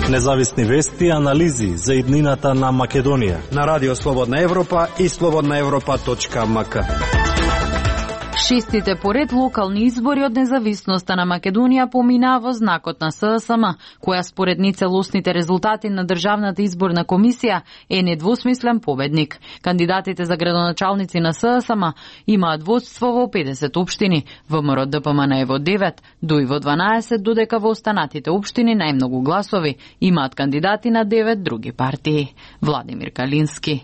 Независни вести и анализи за иднината на Македонија. На Радио Слободна Европа и slobodnaevropa.mk. Шестите поред локални избори од независноста на Македонија поминаа во знакот на ССМ, која според нецелосните резултати на Државната изборна комисија е недвосмислен победник. Кандидатите за градоначалници на ССМ имаат водство во 50 општини, ВМРО ДПМН е во 9, ДУИ во 12, додека во останатите општини најмногу гласови имаат кандидати на 9 други партии. Владимир Калински.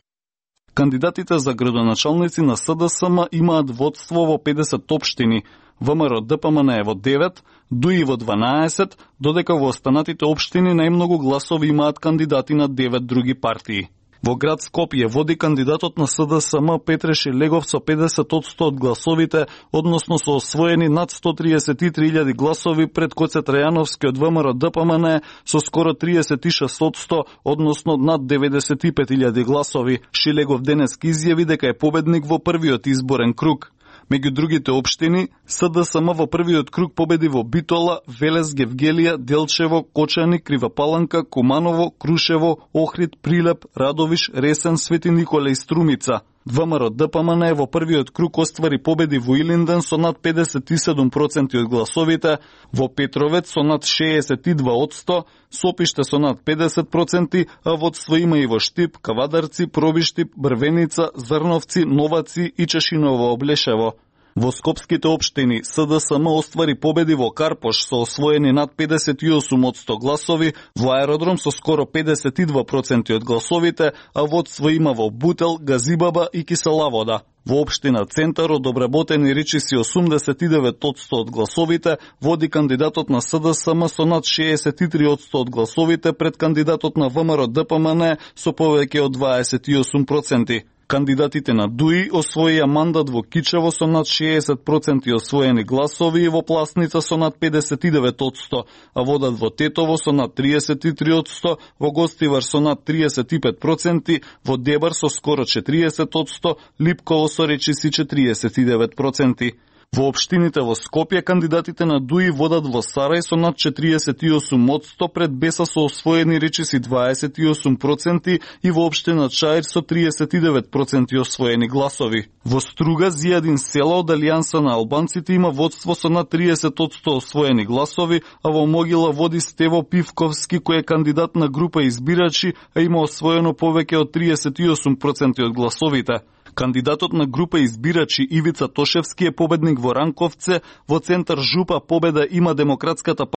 Кандидатите за градоначалници на СДСМ имаат водство во 50 општини, ВМРО ДПМН е во 9, ДУИ во 12, додека во останатите општини најмногу гласови имаат кандидати на 9 други партии. Во град Скопје води кандидатот на СДСМ Петре Шилегов со 50% од гласовите, односно со освоени над 133.000 гласови пред Коце Трајановски од ВМРО ДПМН со скоро 36%, односно над 95.000 гласови. Шилегов денеска изјави дека е победник во првиот изборен круг. Меѓу другите општини, СДСМ во првиот круг победи во Битола, Велес, Гевгелија, Делчево, Кочани, Кривапаланка, Куманово, Крушево, Охрид, Прилеп, Радовиш, Ресен, Свети Николе и Струмица. ВМРО ДПМН во првиот круг оствари победи во Илинден со над 57% од гласовите, во Петровец со над 62%, Сопиште со над 50%, а водство има и во Штип, Кавадарци, Пробиштип, Брвеница, Зрновци, Новаци и Чешиново Облешево. Во скопските општини СДСМ оствари победи во Карпош со освоени над 58% гласови, во Аеродром со скоро 52% од гласовите, а водство има во Бутел, Газибаба и Киселавода. Во општина Центар од обработени речиси 89% од гласовите, води кандидатот на СДСМ со над 63% од гласовите пред кандидатот на ВМРО ДПМН со повеќе од 28%. Кандидатите на ДУИ освоија мандат во Кичево со над 60% освоени гласови и во Пласница со над 59%, а водат во Тетово со над 33%, во Гостивар со над 35%, во Дебар со скоро 40%, Липково со речиси 49%. Во општините во Скопје кандидатите на ДУИ водат во Сарај со над 48%, пред Беса со освоени речиси 28% и во општина Чаир со 39% освоени гласови. Во Струга Зијадин Села од Алијанса на албанците има водство со над 30% освоени гласови, а во Могила води Стево Пивковски кој е кандидат на група избирачи, а има освоено повеќе од 38% од гласовите. Кандидатот на група избирачи Ивица Тошевски е победник во Ранковце, во Центар Жупа победа има Демократската